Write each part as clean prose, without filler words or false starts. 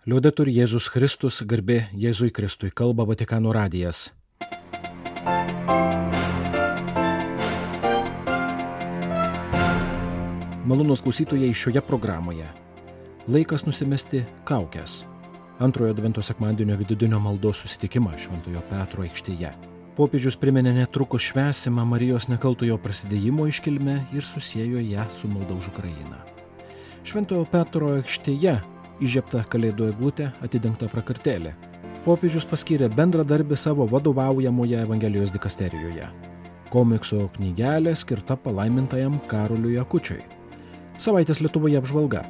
Liudetur Jėzus Kristus, garbė Jėzui Kristui, kalba Vatikano radijas. Malonūs klausytojai, šioje programoje laikas nusimesti kaukes. Antrojo Advento sekmadienio vidudienio maldos susitikimą Šventojo Petro aikštėje. Popiežius priminė netrukus švęsimą Marijos nekaltojo prasidėjimo iškilmę ir susiejo ją su malda už Ukrainą. Šventojo Petro aikštėje įžiebta kalėdų eglutė, atidengta prakartėlė. Popiežius paskyrė bendradarbį savo vadovaujamoje Evangelijos dikasterijoje. Komikso knygelė skirta palaimintajam Karoliui Akučiui. Savaitės Lietuvoje apžvalga.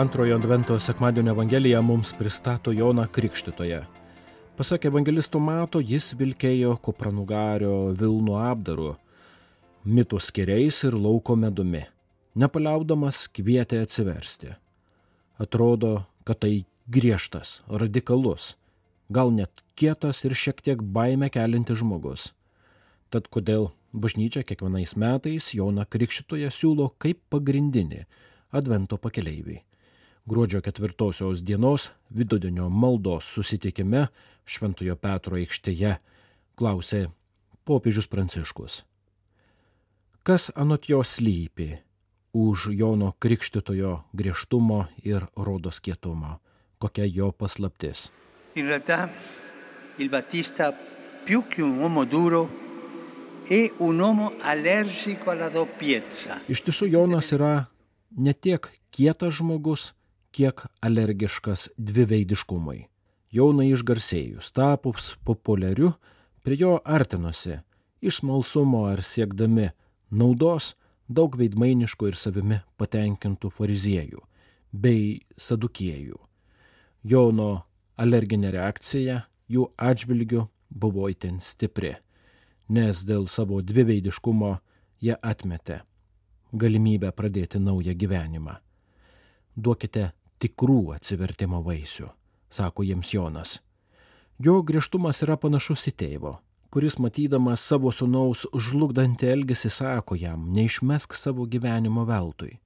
Antrojo Advento sekmadienio Evangelija mums pristato Joną Krikštytoją. Pasak evangelisto Mato, jis vilkėjo kupranugario vilnų apdaru, mitų skiriais ir lauko medumi. Nepaliaudamas kvietė atsiversti. Atrodo, kad tai griežtas, radikalus, gal net kietas ir šiek tiek baimę kelintis žmogus. Tad kodėl bažnyčia kiekvienais metais Joną Krikštytoją siūlo kaip pagrindinį Advento pakeleivį? Gruodžio 4 dienos vidudienio maldos susitikime Šventojo Petro aikštėje klausė popiežius Pranciškus. Kas anot jo slypi už Jono Krikštytojo griežtumo ir rodos kietumo? Kokia jo paslaptis? In realtà il Battista più che un uomo duro è un uomo allergico alla doppiezza. Iš tiesų Jonas yra ne tiek kietas žmogus, kiek alergiškas dviveidiškumui. Jonui išgarsėjus, tapus populiariu, prie jo artinosi iš smalsumo ar siekdami naudos daug veidmainiškų ir savimi patenkintų fariziejų bei sadukiejų. Jono alerginė reakcija jų atžvilgiu buvo itin stipri, nes dėl savo dviveidiškumo jie atmetė galimybę pradėti naują gyvenimą. Duokite tikrų atsivertimo vaisių, sako jiems Jonas. Jo griežtumas yra panašus į tėvo, kuris matydamas savo sūnaus žlugdantį elgesį sako jam, neišmesk savo gyvenimo veltui.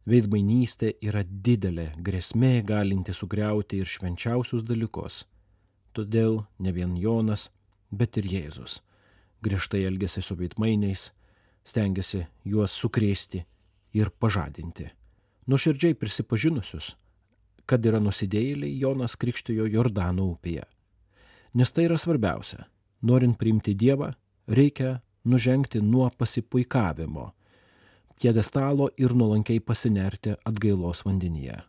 Veidmainystė yra didelė grėsmė galinti sugriauti ir švenčiausius dalykus. Todėl ne vien Jonas, bet ir Jėzus griežtai elgėsi su veidmainiais, stengiasi juos sukrėsti ir pažadinti. Nuoširdžiai prisipažinusius, kad yra nusidėjėliai, Jonas krikštijo Jordano upėje. Nes tai yra svarbiausia. Norint priimti Dievą, reikia nužengti nuo pasipuikavimo pjedestalo ir nuolankiai pasinerti atgailos vandenyje.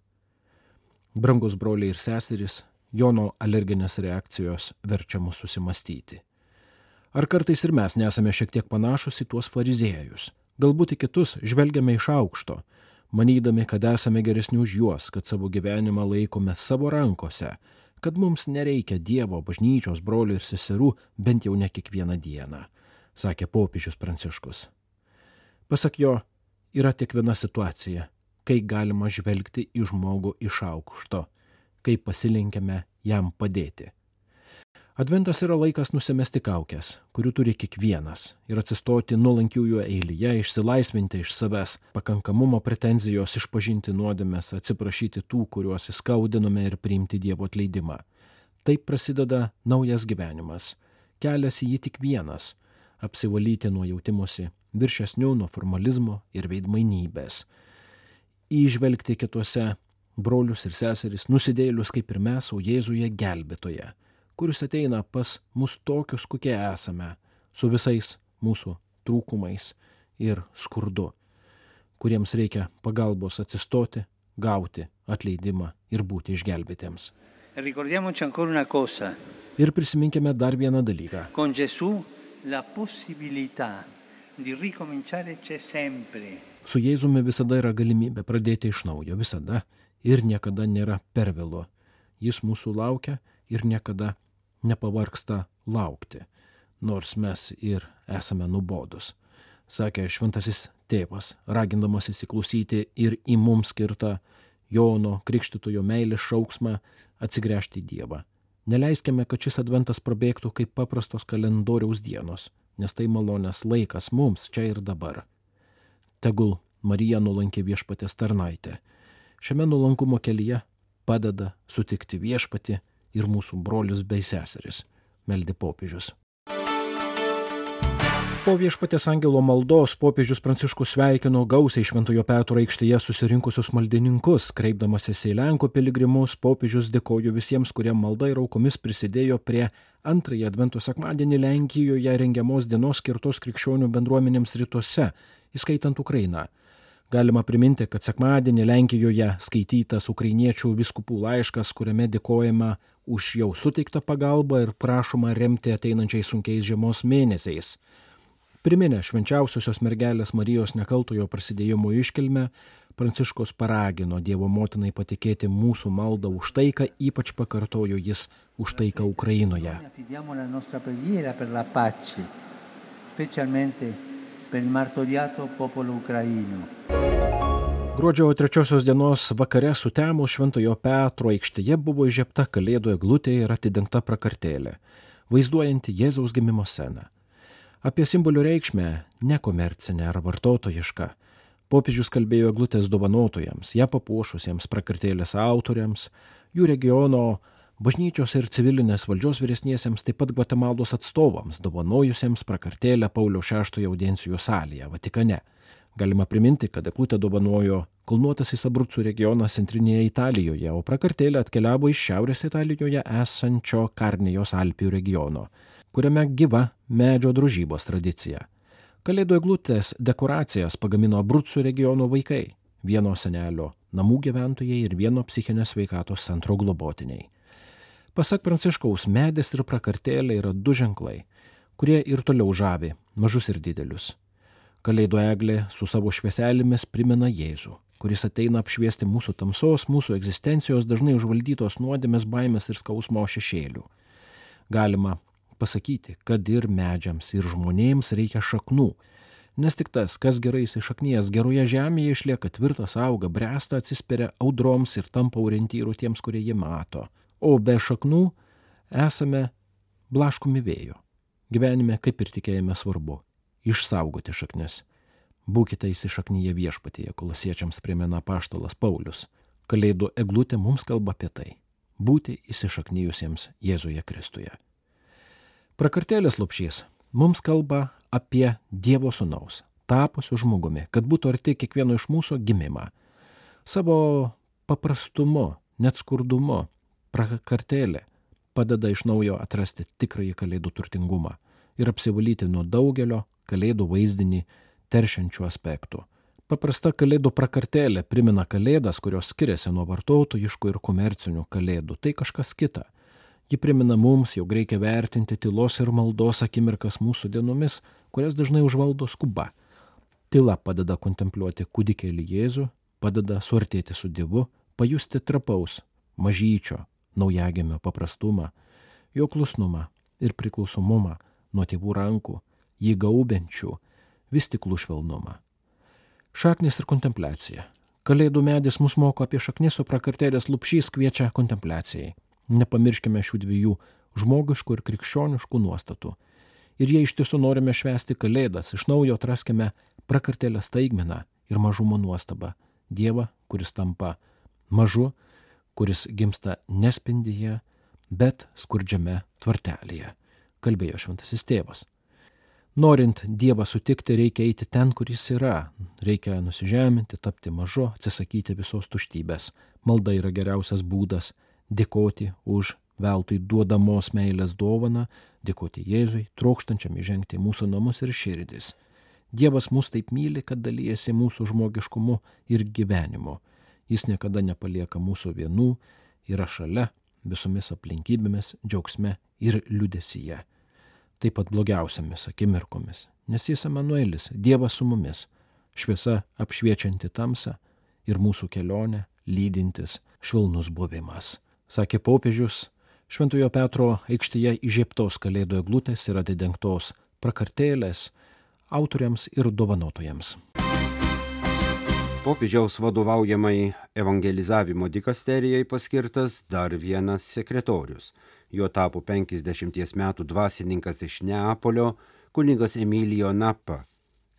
Brangus broliai ir seserys, Jono alerginės reakcijos verčia mus susimastyti. Ar kartais ir mes nesame šiek tiek panašus į tuos fariziejus? Galbūt į kitus žvelgiame iš aukšto, manydami, kad esame geresni už juos, kad savo gyvenimą laikome savo rankose, kad mums nereikia Dievo, bažnyčios, brolių ir seserų bent jau ne kiekvieną dieną, sakė popiežius Pranciškus. Pasak jo, yra tik viena situacija, kai galima žvelgti į žmogų iš aukšto, kai pasilenkėme jam padėti. Adventas yra laikas nusimesti kaukes, kurių turi kiekvienas, ir atsistoti nuolankiųjų eilėje, išsilaisvinti iš savęs, pakankamumo pretenzijos, išpažinti nuodėmes, atsiprašyti tų, kuriuos įskaudinome ir priimti Dievo atleidimą. Taip prasideda naujas gyvenimas. Kelias į jį tik vienas - apsivalyti nuo jautimosi viršesnių, nuo formalizmo ir veidmainybės. Įžvelgti kituose brolius ir seseris, nusidėjėlius kaip ir mes, o Jėzuje gelbėtoje, kuris ateina pas mus tokius, kokie esame, su visais mūsų trūkumais ir skurdu, kuriems reikia pagalbos atsistoti, gauti atleidimą ir būti išgelbėtiems. Ricordiamoci ancora una cosa. Ir prisiminkime dar vieną dalyką. Con Gesù la possibilità di ricominciare c'è sempre. Su Jėzumi visada yra galimybė pradėti iš naujo, visada ir niekada nėra per vėlu. Jis mūsų laukia ir niekada nepavargsta laukti, nors mes ir esame nubodus, sakė šventasis tėvas, ragindamas įsiklausyti ir į mums skirtą Jono Krikštytojo meilės šauksmą atsigręžti į Dievą. Neleiskime, kad šis adventas prabėgtų kaip paprastos kalendoriaus dienos, nes tai malonės laikas mums čia ir dabar. Tegul Marija nuolankė Viešpaties tarnaitė. Šiame nuolankumo kelyje padeda sutikti Viešpatį ir mūsų brolius bei seseris, meldė popiežius. Po Viešpaties angelo maldos popiežius Pranciškus sveikino gausiai Šventojo Petro aikštėje susirinkusius maldininkus. Kreipdamasis į Lenkų piligrimus, popiežius dėkojo visiems, kurie malda ir aukomis prisidėjo prie antrąjį Advento sekmadienį Lenkijoje rengiamos dienos skirtos krikščionių bendruomenėms rytuose, įskaitant Ukrainą. Galima priminti, kad sekmadienį Lenkijoje skaitytas ukrainiečių vyskupų laiškas, kuriame dėkojama už jau suteiktą pagalbą ir prašoma remti ateinančiais sunkiais žiemos mėnesiais. Priminę švenčiausiosios mergelės Marijos nekaltojo prasidėjimo iškilmę, Pranciškus paragino Dievo motinai patikėti mūsų maldą už taiką, ypač pakartojo jis už taiką Ukrainoje. Gruodžio 3 dienos vakare sutemus Šventojo Petro aikštėje buvo įžiebta kalėdų eglutė ir atidengta prakartėlė, vaizduojanti Jėzaus gimimo sceną. Apie simbolių reikšmę, nekomercinę ar vartotojišką, popiežius kalbėjo eglutės dovanotojams, ją papuošusiems prakartėlės autoriams, jų regiono bažnyčios ir civilinės valdžios vyresniesiems, taip pat Gvatemalos atstovams, dovanojusiems prakartėlę Pauliaus VI audiencijų salėje, Vatikane. Galima priminti, kad eglutę dovanojo kalnuotasis Abrucų regionas centrinėje Italijoje, o prakartėlė atkeliavo iš šiaurės Italijoje esančio Karnijos Alpių regiono, kuriame gyva medžio drožybos tradicija. Kalėdų eglutės dekoracijas pagamino Abrucų regiono vaikai, vieno senelio namų gyventojai ir vieno psichinės sveikatos centro globotiniai. Pasak Pranciškaus, medis ir prakartėlė yra du ženklai, kurie ir toliau žavi mažus ir didelius. Kalėdų eglė su savo švieselėmis primena Jėzų, kuris ateina apšviesti mūsų tamsos, mūsų egzistencijos dažnai užvaldytos nuodėmės, baimės ir skausmo šešėlių. Galima pasakyti, kad ir medžiams, ir žmonėms reikia šaknų, nes tik tas, kas gerai įsišaknijęs geroje žemėje, išlieka tvirtas, auga, bręsta, atsispiria audroms ir tampa orientyru tiems, kurie jį mato. O be šaknų esame blaškomi vėjo. Gyvenime, kaip ir tikėjime, svarbu išsaugoti šaknis. Būkite įsišaknyje Viešpatyje, Kolosiečiams primena apaštalas Paulius. Kalėdų eglutė mums kalba apie tai – būti įsišaknyjusiems Jėzuje Kristuje. Prakartėlės lopšys mums kalba apie Dievo sūnaus, tapusių žmogumi, kad būtų arti kiekvieno iš mūsų gimimą. Savo paprastumu, net skurdumu, prakartėlė padeda iš naujo atrasti tikrąjį kalėdų turtingumą ir apsivalyti nuo daugelio kalėdų vaizdinį teršiančių aspektų. Paprasta kalėdų prakartėlė primena kalėdas, kurios skiriasi nuo vartotojiškų ir komercinių kalėdų. Tai kažkas kita. Ji primena mums, jog reikia vertinti tylos ir maldos akimirkas mūsų dienomis, kurias dažnai užvaldo skuba. Tyla padeda kontempliuoti kūdikėlį Jėzų, padeda suartėti su Dievu, pajusti trapaus, mažyčio, naujagimio paprastumą, jo klusnumą ir priklausomumą nuo tėvų rankų, jį gaubiančių vis tiklų švelnumą. Šaknis ir kontempliacija. Kalėdų medis mus moko apie šaknis, o prakartėlės lopšys kviečia kontempliacijai. Nepamirškime šių dviejų žmogiškų ir krikščioniškų nuostatų. Ir jei iš tiesų norime švęsti kalėdas, iš naujo atraskime prakartėlės staigmeną ir mažumo nuostabą. Dievą, kuris tampa mažu, kuris gimsta nespindyje, bet skurdžiame tvartelėje, kalbėjo šventasis tėvas. Norint Dievą sutikti, reikia eiti ten, kur jis yra. Reikia nusižeminti, tapti mažu, atsisakyti visos tuštybės. Malda yra geriausias būdas dėkoti už veltui duodamos meilės dovaną, dėkoti Jėzui, trokštančiam įžengti mūsų namus ir širdis. Dievas mus taip myli, kad dalyjasi mūsų žmogiškumu ir gyvenimu. Jis niekada nepalieka mūsų vienų, yra šalia visomis aplinkybėmis, džiaugsme ir liūdesyje. Taip pat blogiausiamis akimirkomis, nes jis Emanuelis, Dievas su mumis, šviesa apšviečianti tamsą ir mūsų kelionę lydintis švelnus buvimas. Sakė popiežius, Šventojo Petro aikštėje įžiebtos kalėdų eglutės ir atidengtos prakartėlės autoriams ir dovanotojams. Popiežiaus vadovaujamai evangelizavimo dikasterijai paskirtas dar vienas sekretorius. Jo tapo 50 metų dvasininkas iš Neapolio, kunigas Emilio Nappa,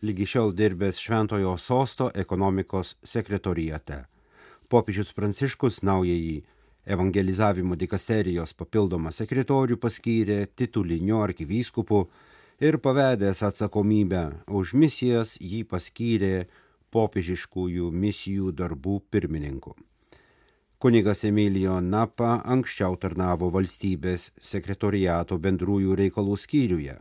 lygi šiol dirbęs Šventojo Sosto ekonomikos sekretoriate. Popiežius Pranciškus naująjį evangelizavimo dikasterijos papildomą sekretorių paskyrė tituliniu arkivyskupu ir pavedęs atsakomybę už misijas jį paskyrė popiežiškųjų misijų darbų pirmininku. Kunigas Emilio Nappa anksčiau tarnavo valstybės sekretoriato bendrųjų reikalų skyriuje.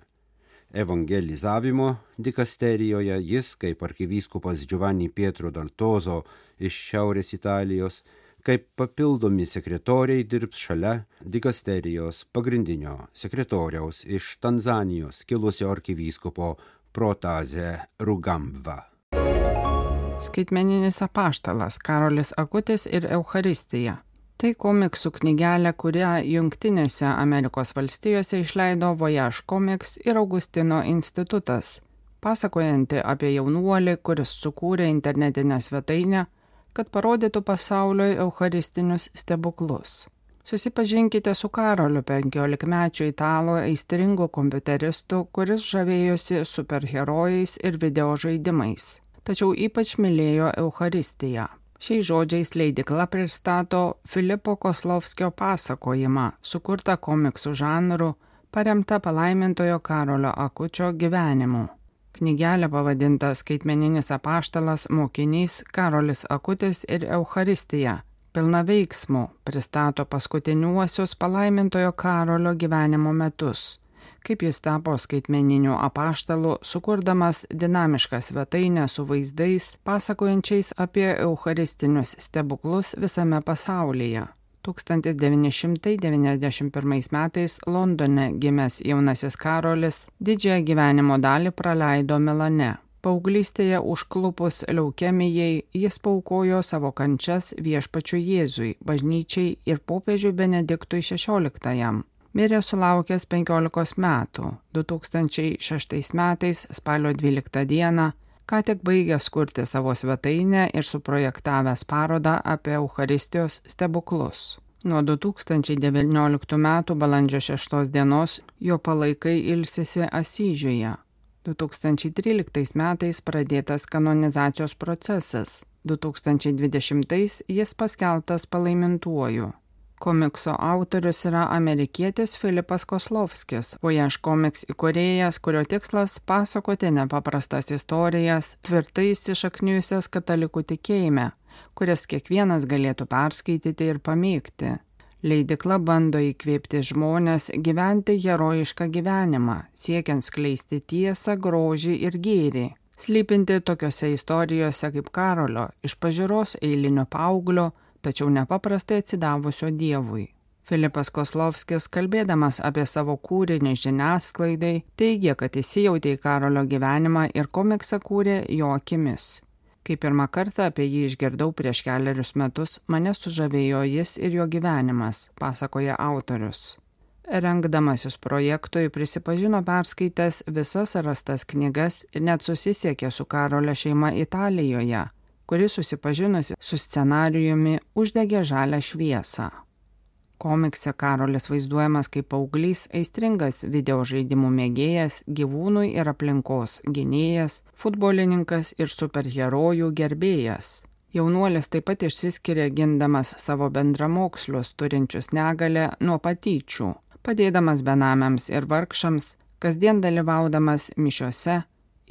Evangelizavimo dikasterijoje jis, kaip arkivyskupas Giovanni Pietro Daltozo iš Šiaurės Italijos, kaip papildomi sekretoriai dirbs šalia dikasterijos pagrindinio sekretoriaus iš Tanzanijos kilusio arkivyskupo Protase Rugambva. Skaitmeninis apaštalas Karolis Akutis ir Eucharistija. Tai komiksų knygelė, kurią Jungtinėse Amerikos valstijose išleido Voyage Comics ir Augustino institutas, pasakojanti apie jaunuolį, kuris sukūrė internetinę svetainę, kad parodytų pasauliui eucharistinius stebuklus. Susipažinkite su Karoliu, 15-mečiu italų aistringu kompiuteristu, kuris žavėjosi superherojais ir videožaidimais, tačiau ypač mylėjo Eucharistiją. Šiais žodžiais leidykla pristato Filipo Koslovskio pasakojimą, sukurtą komiksų žanru, paremtą palaimintojo Karolio Akučio gyvenimu. Knygelė pavadinta Skaitmeninis apaštalas mokinys Karolis Akutis ir Eucharistija, pilna veiksmų, pristato paskutiniuosius palaimintojo Karolio gyvenimo metus, kaip jis tapo skaitmeniniu apaštalu, sukurdamas dinamišką svetainę su vaizdais, pasakojančiais apie eucharistinius stebuklus visame pasaulyje. 1991 metais Londone gimęs jaunasis Karolis didžiąją gyvenimo dalį praleido Milane. Paauglystėje užklupus leukemijai jis paaukojo savo kančias viešpačiui Jėzui, bažnyčiai ir popiežiui Benediktui XVI. Mirė sulaukęs 15 metų, 2006 metais spalio 12 dieną, ką tik baigęs kurti savo svetainę ir suprojektavęs parodą apie Eucharistijos stebuklus. Nuo 2019 metų balandžio 6 dienos jo palaikai ilsisi Asyžiuje. 2013 metais pradėtas kanonizacijos procesas, 2020 jis paskelbtas palaimintuoju. Komikso autorius yra amerikietis Filipas Koslovskis, Voyage Comics įkūrėjas, kurio tikslas pasakoti nepaprastas istorijas, tvirtai įsišaknijusias katalikų tikėjime, kurias kiekvienas galėtų perskaityti ir pamėgti. Leidykla bando įkvėpti žmonės gyventi herojišką gyvenimą, siekiant skleisti tiesą, grožį ir gėrį, slypinti tokiose istorijose kaip Karolio, iš pažiūros eilinio paauglio, tačiau nepaprastai atsidavusio Dievui. Filipas Koslovskis, kalbėdamas apie savo kūrinį žiniasklaidai, teigia, kad įsijautė į Karolio gyvenimą ir komiksą kūrė jo akimis. Kai pirmą kartą apie jį išgirdau prieš 4 metus, mane sužavėjo jis ir jo gyvenimas, pasakoja autorius. Rengdamasis projektui prisipažino perskaitęs visas rastas knygas ir net susisiekė su Karolio šeima Italijoje, kuri susipažinusi su scenarijumi uždegė žalią šviesą. Komikse Karolis vaizduojamas kaip paauglys, aistringas videožaidimų mėgėjas, gyvūnų ir aplinkos gynėjas, futbolininkas ir superherojų gerbėjas. Jaunuolis taip pat išsiskiria gindamas savo bendramokslius turinčius negalę nuo patyčių, padėdamas benamiams ir vargšams, kasdien dalyvaudamas mišiose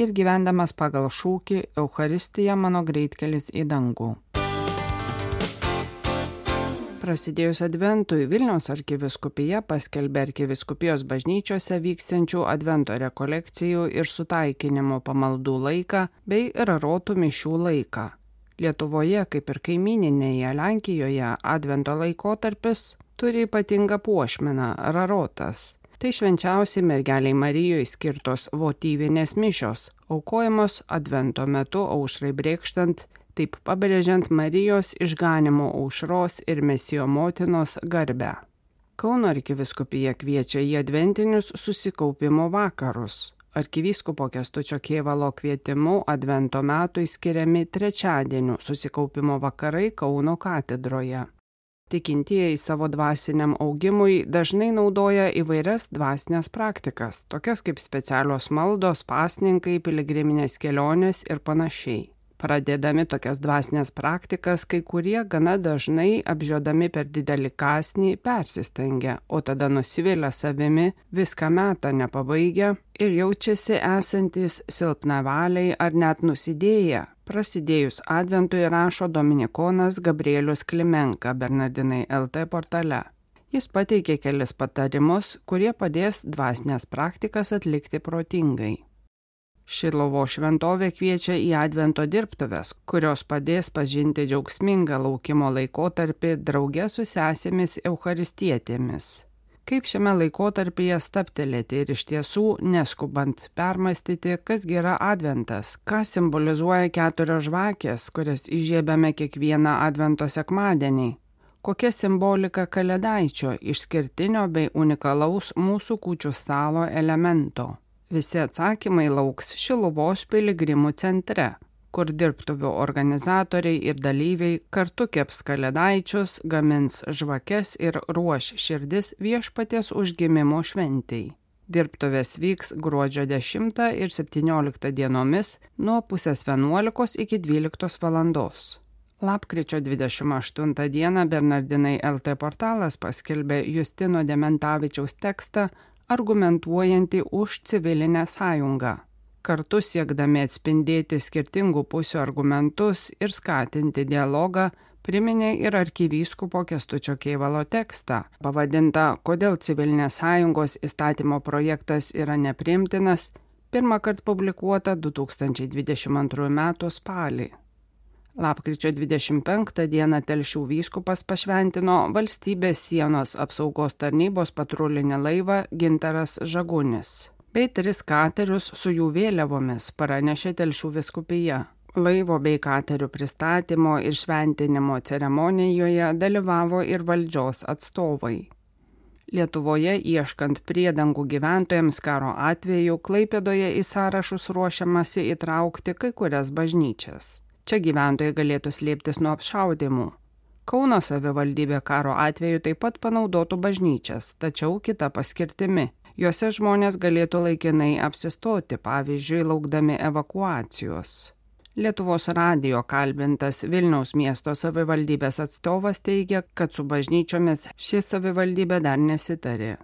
ir gyvendamas pagal šūkį Eucharistija mano greitkelis į dangų. Prasidėjus Adventui Vilniaus arkivyskupija paskelbė arkivyskupijos bažnyčiose vyksiančių Advento rekolekcijų ir sutaikinimo pamaldų laiką bei rarotų mišių laiką. Lietuvoje, kaip ir kaimyninėje Lenkijoje, Advento laikotarpis turi ypatingą puošmeną – rarotas. Tai švenčiausiai mergeliai Marijai skirtos votyvinės mišios, aukojamos Advento metu aušrai brėkštant, taip pabrėžiant Marijos išganymo aušros ir Mesijo motinos garbę. Kauno arkivyskupija kviečia į adventinius susikaupimo vakarus. Arkivyskupo Kęstučio Kėvalo kvietimu Advento metui skiriami trečiadienių susikaupimo vakarai Kauno katedroje. Tikintieji savo dvasiniam augimui dažnai naudoja įvairias dvasinės praktikas, tokias kaip specialios maldos, pasninkai, piligriminės kelionės ir panašiai. Pradėdami tokias dvasinės praktikas, kai kurie gana dažnai apžiodami per didelį kąsnį persistengia, o tada nusivilia savimi, viską metą nepabaigia ir jaučiasi esantis silpnavaliai ar net nusidėję. Prasidėjus adventui, rašo dominikonas Gabrielius Klimenka Bernardinai LT portale. Jis pateikė kelis patarimus, kurie padės dvasinės praktikas atlikti protingai. Šiluvos šventovė kviečia į advento dirbtuves, kurios padės pažinti džiaugsmingą laukimo laikotarpį drauge su sesėmis eucharistietėmis. Kaip šiame laikotarpyje stabtelėti ir iš tiesų neskubant permastyti, kas yra adventas, ką simbolizuoja 4 žvakės, kurias įžiebiame kiekvieną advento sekmadienį, kokia simbolika kalėdaičio, išskirtinio bei unikalaus mūsų kūčių stalo elemento. Visi atsakymai lauks Šiluvos piligrimų centre, kur dirbtuvių organizatoriai ir dalyviai kartu keps kalėdaičius, gamins žvakes ir ruoš širdis Viešpaties užgimimo šventei. Dirbtuvės vyks gruodžio 10 ir 17 dienomis nuo 10:30 iki 12 valandos. Lapkričio 28 dieną Bernardinai LT portalas paskelbė Justino Dementavičiaus tekstą argumentuojantį už civilinę sąjungą. Kartu siekdami atspindėti skirtingų pusių argumentus ir skatinti dialogą, priminė ir arkivyskupo Kęstučio Kėvalo tekstą, pavadintą "Kodėl civilinės sąjungos įstatymo projektas yra nepriimtinas", pirmąkart publikuota 2022 m. spalį. Lapkričio 25 dieną Telšių vyskupas pašventino Valstybės sienos apsaugos tarnybos patrulinį laivą Gintaras Žagunis, bei 3 katerius su jų vėliavomis, pranešė Telšių vyskupija. Laivo bei katerių pristatymo ir šventinimo ceremonijoje dalyvavo ir valdžios atstovai. Lietuvoje ieškant priedangų gyventojams karo atveju Klaipėdoje į sąrašus ruošiamasi įtraukti kai kurias bažnyčias. Čia gyventojai galėtų slėptis nuo apšaudymų. Kauno savivaldybė karo atveju taip pat panaudotų bažnyčias, tačiau kita paskirtimi. Jose žmonės galėtų laikinai apsistoti, pavyzdžiui, laukdami evakuacijos. Lietuvos radijo kalbintas Vilniaus miesto savivaldybės atstovas teigia, kad su bažnyčiomis ši savivaldybė dar nesitarė.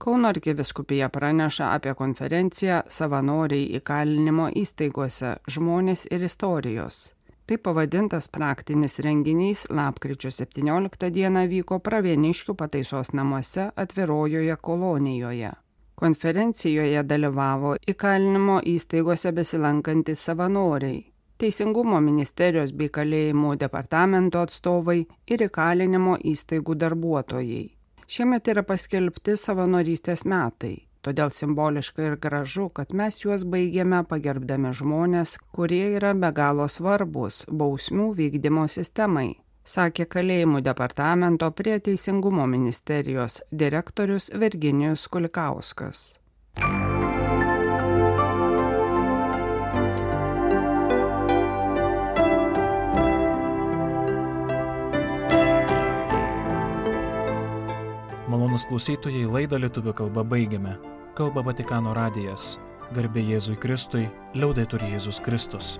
Kauno arkivyskupija praneša apie konferenciją Savanoriai įkalinimo įstaigose – žmonės ir istorijos. Tai pavadintas praktinis renginys lapkričio 17 dieną vyko Pravieniškių pataisos namuose Atvirojoje kolonijoje. Konferencijoje dalyvavo įkalinimo įstaigose besilankantys savanoriai, Teisingumo ministerijos bei kalėjimų departamento atstovai ir įkalinimo įstaigų darbuotojai. Šiemet yra paskelbti savanorystės metai. Todėl simboliška ir gražu, kad mes juos baigėme pagerbdami žmonės, kurie yra be galo svarbus bausmių vykdymo sistemai, sakė kalėjimų departamento prie Teisingumo ministerijos direktorius Virginijus Kulikauskas. Malonūs klausytojai, laidą lietuvių kalba baigiame. Kalba Vatikano radijas. Garbė Jėzui Kristui, liaudetur Jėzus Kristus.